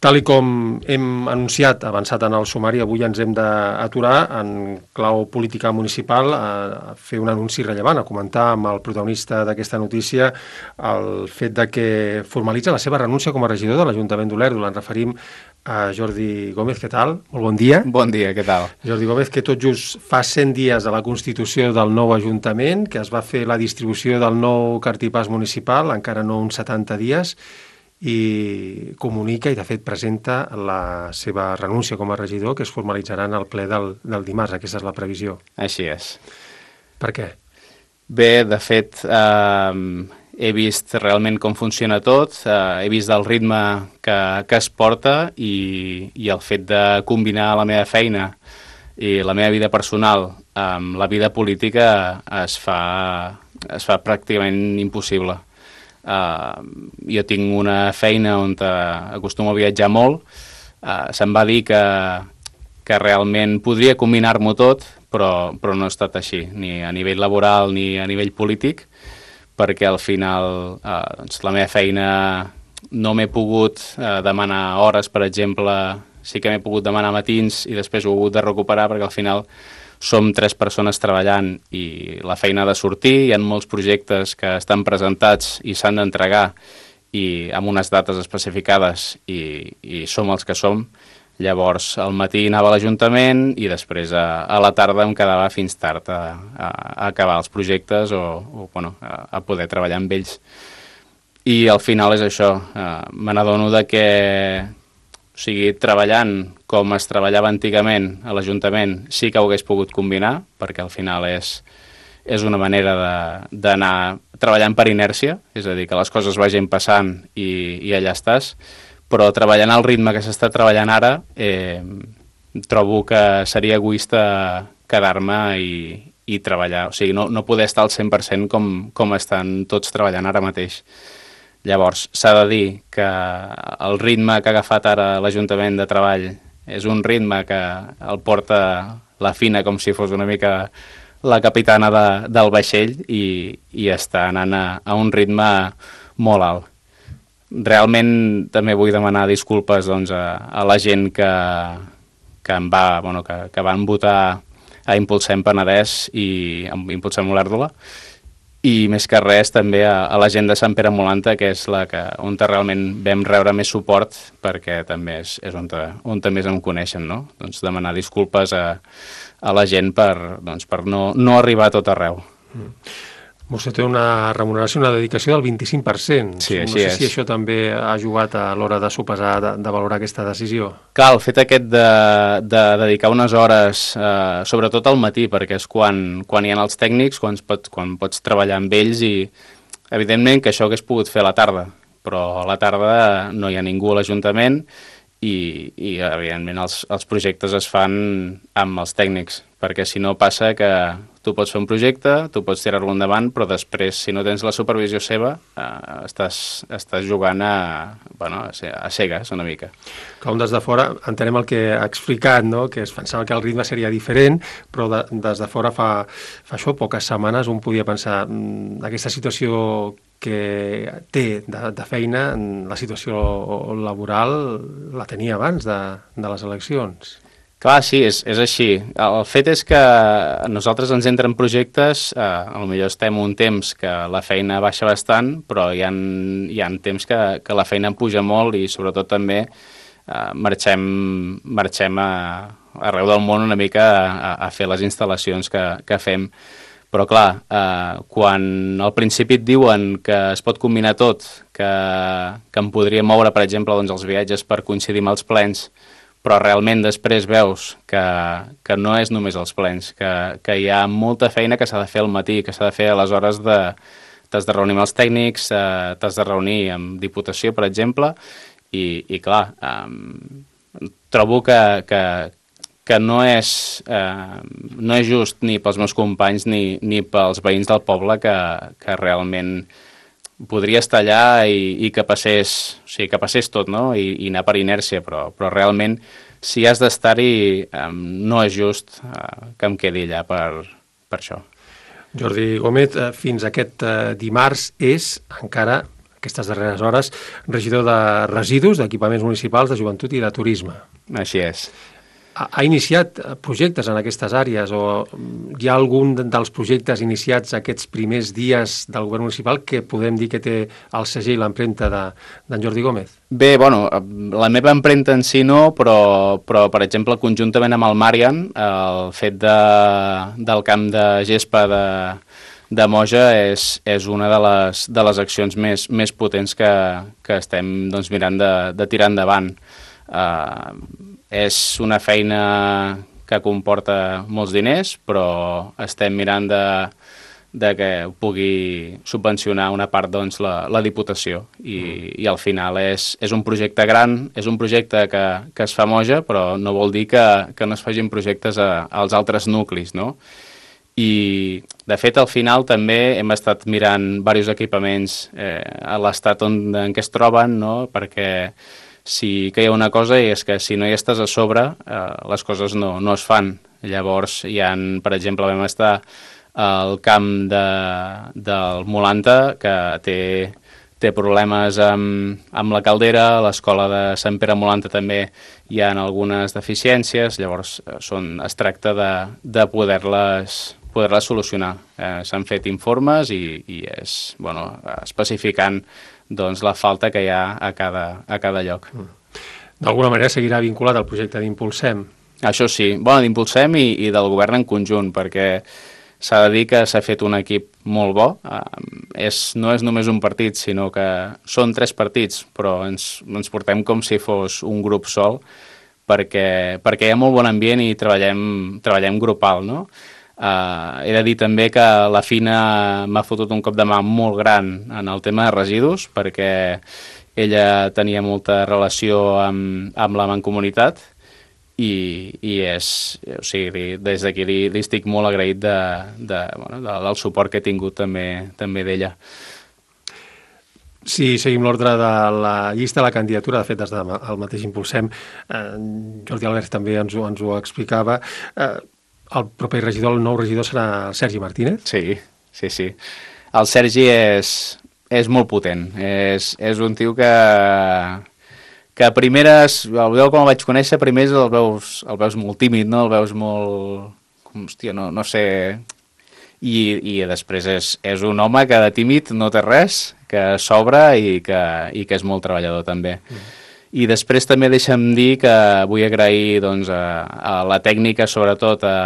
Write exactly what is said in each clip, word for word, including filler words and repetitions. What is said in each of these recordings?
Tal i com hem anunciat, avançat en el sumari, avui ens hem d'aturar en clau política municipal a fer un anunci rellevant, a comentar amb el protagonista d'aquesta notícia el fet de que formalitza la seva renúncia com a regidor de l'Ajuntament d'Olèrdola. Ens referim a Jordi Gómez. Què tal? Molt bon dia. Bon dia, què tal? Jordi Gómez, que tot just fa cent dies de la constitució del nou Ajuntament, que es va fer la distribució del nou cartipàs municipal, encara no uns setanta dies, i comunica i de fet presenta la seva renúncia com a regidor, que es formalitzarà en el ple del, del dimarts. Aquesta és la previsió. Així és. Per què? Bé, de fet, eh, he vist realment com funciona tot, eh, he vist el ritme que, que es porta i, i el fet de combinar la meva feina i la meva vida personal amb la vida política es fa, es fa pràcticament impossible. Uh, jo tinc una feina on acostumo a viatjar molt. Uh, se'm va dir que, que realment podria combinar-m'ho tot, però, però no ha estat així, ni a nivell laboral ni a nivell polític, perquè al final uh, doncs la meva feina no m'he pogut uh, demanar hores, per exemple. Sí que m'he pogut demanar matins i després ho he hagut de recuperar perquè al final som tres persones treballant i la feina ha de sortir, hi ha molts projectes que estan presentats i s'han d'entregar i amb unes dates especificades i, i som els que som. Llavors al matí anava a l'Ajuntament i després a, a la tarda em quedava fins tard a, a, a acabar els projectes o, o bueno, a, a poder treballar amb ells. I al final és això, eh, me n'adono de que o sigui, treballant com es treballava antigament a l'Ajuntament sí que ho hagués pogut combinar, perquè al final és, és una manera d'anar treballant per inèrcia, és a dir, que les coses vagin passant i, i allà estàs, però treballant al ritme que s'està treballant ara, eh, trobo que seria egoista quedar-me i, i treballar, o sigui, no, no poder estar al cent per cent com, com estan tots treballant ara mateix. Llavors, s'ha de dir que el ritme que ha agafat ara l'Ajuntament de Treball és un ritme que el porta la Fina com si fos una mica la capitana de, del vaixell i, i està anant a, a un ritme molt alt. Realment també vull demanar disculpes doncs, a, a la gent que, que, em va, bueno, que, que van votar a Impulsem Penedès i a Impulsem Olèrdola, i més que res també a, a la gent de Sant Pere Molanta, que és la que, on realment vam rebre més suport, perquè també és, és on, on més em coneixen, no? Doncs demanar disculpes a, a la gent per, doncs, per no, no arribar a tot arreu. Mm. Vostè té una remuneració, una dedicació del vint-i-cinc per cent. Sí, no així sé és. si això també ha jugat a l'hora de sopesar, de, de valorar aquesta decisió. Clar, el fet aquest de, de dedicar unes hores, eh, sobretot al matí, perquè és quan, quan hi ha els tècnics, quan pots, quan pots treballar amb ells i, evidentment, que això hagués pogut fer a la tarda, però a la tarda no hi ha ningú a l'Ajuntament i, i evidentment, els, els projectes es fan amb els tècnics, perquè si no passa que tu pots fer un projecte, tu pots tirar-lo endavant, però després, si no tens la supervisió seva, eh, estàs, estàs jugant a, bueno, a cegues una mica. Com des de fora, entenem el que ha explicat, no? Que es pensava que el ritme seria diferent, però de, des de fora fa, fa això, poques setmanes, un podia pensar mmm, aquesta situació que té de, de feina, la situació laboral la tenia abans de, de les eleccions. Clar, sí, és, és així. El fet és que a nosaltres ens entren projectes, eh, potser estem un temps que la feina baixa bastant, però hi ha, hi ha temps que, que la feina puja molt i sobretot també eh, marxem, marxem a, arreu del món una mica a, a fer les instal·lacions que, que fem. Però clar, eh, quan al principi et diuen que es pot combinar tot, que, que em podria moure, per exemple, doncs, els viatges per coincidir amb els plens, però realment després veus que, que no és només els plens, que, que hi ha molta feina que s'ha de fer al matí, que s'ha de fer a les hores de... T'has de reunir amb els tècnics, eh, t'has de reunir amb Diputació, per exemple, i, i clar, eh, trobo que, que, que no, és, eh, no és just ni pels meus companys ni, ni pels veïns del poble que, que realment podria estar allà i, i que passés, o sigui, que passés tot, no? I, i anar per inèrcia, però, però realment si has d'estar-hi eh, no és just eh, que em quedi allà per, per això. Jordi Gómez, eh, fins aquest eh, dimarts és encara aquestes darreres hores, regidor de residus, d'equipaments municipals, de joventut i de turisme. Així és. Ha, ha iniciat projectes en aquestes àrees o hi ha algun dels projectes iniciats aquests primers dies del govern municipal que podem dir que té el segell, l'empremta d'en Jordi Gómez? Bé, bueno, la meva empremta en si no, però, però per exemple, conjuntament amb el Marian, el fet de, del camp de gespa de, de Moja és, és una de les, de les accions més, més potents que, que estem doncs, mirant de, de tirar endavant. Uh, és una feina que comporta molts diners, però estem mirant de, de que pugui subvencionar una part doncs, la, la Diputació i, mm. i al final és, és un projecte gran, és un projecte que, que es fa a Moja, però no vol dir que, que no es facin projectes a, als altres nuclis, no? I de fet al final també hem estat mirant diversos equipaments eh, a l'estat on, en què es troben, no? Perquè sí que hi ha una cosa i és que si no hi estàs a sobre eh, les coses no, no es fan. Llavors hi ha, per exemple, vam estar al camp de, del Molanta que té, té problemes amb, amb la caldera, a l'escola de Sant Pere Molanta també hi ha algunes deficiències, llavors són, es tracta de, de poder-les poder-les solucionar. Eh, s'han fet informes i, i és, bueno, especificant doncs, la falta que hi ha a cada, a cada lloc. D'alguna manera seguirà vinculat al projecte d'Impulsem? Això sí, bueno, d'Impulsem i, i del govern en conjunt, perquè s'ha de dir que s'ha fet un equip molt bo. Eh, és, no és només un partit, sinó que són tres partits, però ens, ens portem com si fos un grup sol, perquè, perquè hi ha molt bon ambient i treballem, treballem grupal, no? Uh, he de dir també que la Fina m'ha fotut un cop de mà molt gran en el tema de residus, perquè ella tenia molta relació amb, amb la Mancomunitat i, i és, o sigui, des d'aquí li, li estic molt agraït de, de, bueno, de, del suport que he tingut també, també d'ella. Si seguim l'ordre de la llista, la candidatura, de fet, des del mateix Impulsem, eh, Jordi Albert també ens ho, ens ho explicava, eh, el proper regidor, el nou regidor, serà el Sergi Martínez? Sí, sí, sí. El Sergi és, és molt potent. És, és un tio que, que a primeres, el veu com el vaig conèixer, primers el veus, el veus molt tímid, no? El veus molt... Com, hòstia, no, no sé... I, i després és, és un home que de tímid no té res, que s'obre i, que, i que és molt treballador també. Mm. I després també deixa'm dir que vull agrair doncs, a, a la tècnica, sobretot a,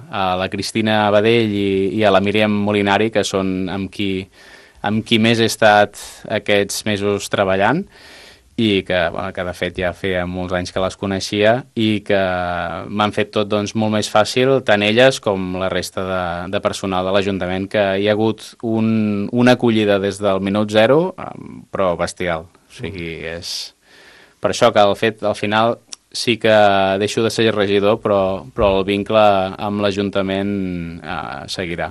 a la Cristina Badell i, i a la Míriam Molinari, que són amb qui, amb qui més he estat aquests mesos treballant i que, bueno, que de fet ja feia molts anys que les coneixia i que m'han fet tot doncs, molt més fàcil, tant elles com la resta de, de personal de l'Ajuntament, que hi ha hagut un, una acollida des del minut zero, però bestial. O sigui, és... Per això que al fet, al final sí que deixo de ser regidor, però, però el vincle amb l'Ajuntament eh, seguirà.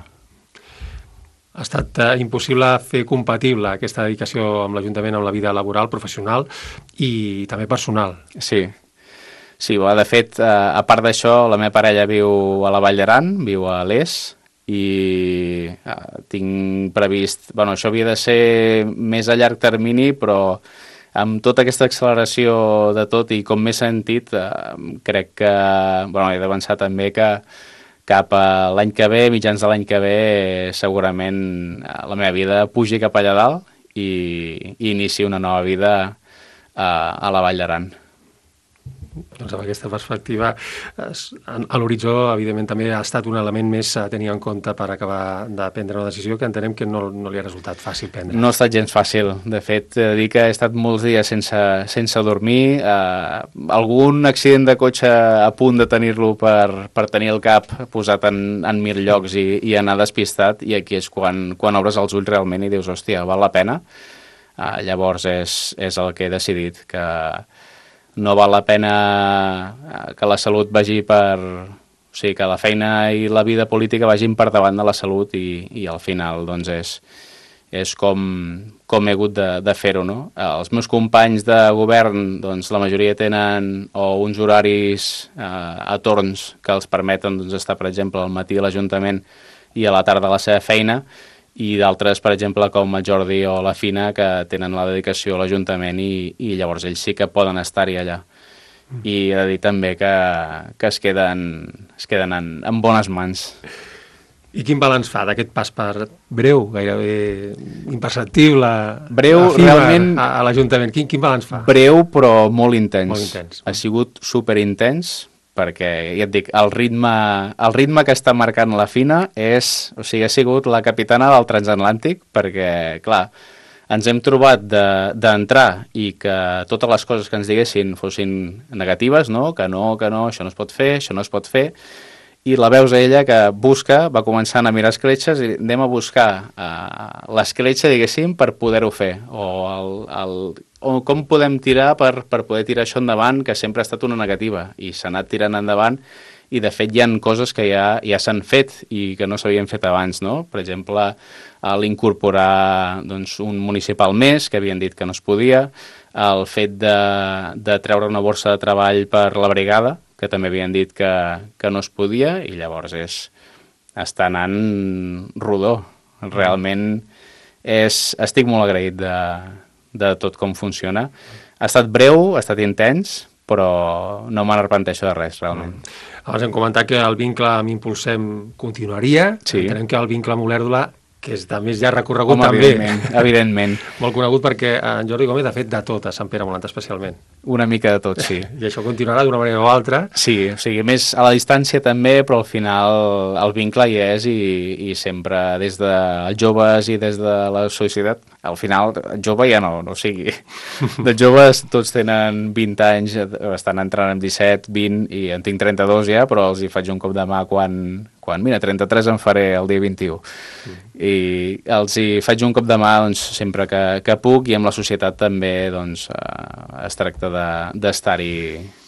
Ha estat eh, impossible fer compatible aquesta dedicació amb l'Ajuntament amb la vida laboral, professional i també personal. Sí, sí, de fet, eh, a part d'això, la meva parella viu a la Vall d'Aran, viu a l'Es, i eh, tinc previst... Bueno, això havia de ser més a llarg termini, però amb tota aquesta acceleració de tot i com m'he sentit, eh, crec que, bueno, he d'avançar també que cap a l'any que ve, mitjans de l'any que ve, segurament la meva vida pugi cap allà dalt i, i inici una nova vida eh, a la Vall d'Aran. Doncs amb aquesta perspectiva, a l'horitzó, evidentment, també ha estat un element més a tenir en compte per acabar de prendre una decisió que entenem que no, no li ha resultat fàcil prendre. No ha estat gens fàcil. De fet, he de dir que he estat molts dies sense, sense dormir. Eh, algun accident de cotxe a punt de tenir-lo per, per tenir el cap posat en, en mil llocs i, i anar despistat, i aquí és quan, quan obres els ulls realment i dius, hòstia, val la pena? Eh, llavors és, és el que he decidit, que no val la pena que la salut vagi per... O sigui, que la feina i la vida política vagin per davant de la salut i, i al final doncs és, és com, com he hagut de, de fer-ho, no? Els meus companys de govern, doncs la majoria tenen o uns horaris eh, a torns que els permeten doncs, estar, per exemple, al matí a l'Ajuntament i a la tarda a la seva feina, i d'altres, per exemple, com el Jordi o la Fina, que tenen la dedicació a l'Ajuntament i, i llavors ells sí que poden estar-hi allà. Mm. I he de dir també que, que es queden, es queden en, en bones mans. I quin balanç fa d'aquest pas per breu, gairebé imperceptible, breu, realment, a, a l'Ajuntament? Quin, quin balanç fa? Breu, però molt intens. Molt intens. Ha sigut superintens, perquè, ja et dic, el ritme, el ritme que està marcant la Fina és, o sigui, ha sigut la capitana del transatlàntic, perquè, clar, ens hem trobat d'entrar de, i que totes les coses que ens diguessin fossin negatives, no? Que no, que no, això no es pot fer, això no es pot fer, i la veus a ella que busca, va començant a mirar escletxes i anem a buscar uh, l'escletxa, diguéssim, per poder-ho fer, o, el, el, o com podem tirar per, per poder tirar això endavant, que sempre ha estat una negativa, i s'ha anat tirant endavant, i de fet hi ha coses que ja, ja s'han fet i que no s'havien fet abans, no? Per exemple, l'incorporar doncs, un municipal més, que havien dit que no es podia, el fet de, de treure una borsa de treball per la brigada, que també havien dit que, que no es podia, i llavors és, està anant rodó. Realment és, estic molt agraït de, de tot com funciona. Ha estat breu, ha estat intens, però no me n'arrepenteixo de res, realment. Abans hem comentat que el vincle amb Impulsem continuaria. Sí. Entenem que el vincle amb Olèrdola, que és de més ja recorregut, home, també. Evidentment, evidentment. Molt conegut perquè en Jordi Gómez ha fet de tot a Sant Pere Molant, especialment. Una mica de tot, sí. I això continuarà d'una manera o altra. Sí, o sigui, més a la distància també, però al final el vincle hi és i, i sempre des dels joves i des de la societat. Al final, jove ja no, no o sigui, de joves tots tenen vint anys, estan entrant amb disset, vint, i en tinc trenta-dos ja, però els hi faig un cop de mà quan, quan mira, trenta-tres en faré el dia vint-i-u. Mm. I els hi faig un cop de mà doncs, sempre que, que puc, i amb la societat també doncs, eh, es tracta d'estar-hi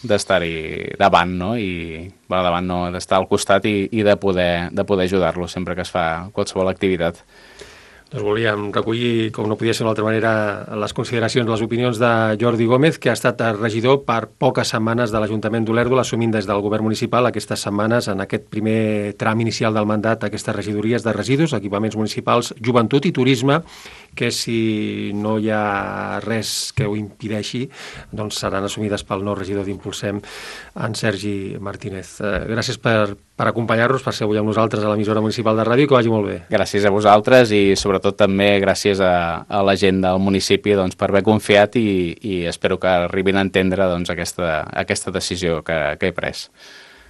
d'estar-hi davant, no? I, bueno, davant no, d'estar al costat i, i de poder, de poder ajudar-los sempre que es fa qualsevol activitat. Doncs volíem recollir, com no podia ser d'una altra manera, les consideracions, les opinions de Jordi Gómez, que ha estat regidor per poques setmanes de l'Ajuntament d'Olèrdola, assumint des del govern municipal aquestes setmanes, en aquest primer tram inicial del mandat, aquestes regidories de residus, equipaments municipals, joventut i turisme, que si no hi ha res que ho impedeixi, doncs seran assumides pel nou regidor d'Impulsem, en Sergi Martínez. Eh, gràcies per, per acompanyar-nos, per ser avui amb nosaltres a l'emissora municipal de ràdio, que vagi molt bé. Gràcies a vosaltres i sobretot també gràcies a, a la gent del municipi doncs, per haver confiat i, i espero que arribin a entendre doncs, aquesta, aquesta decisió que, que he pres.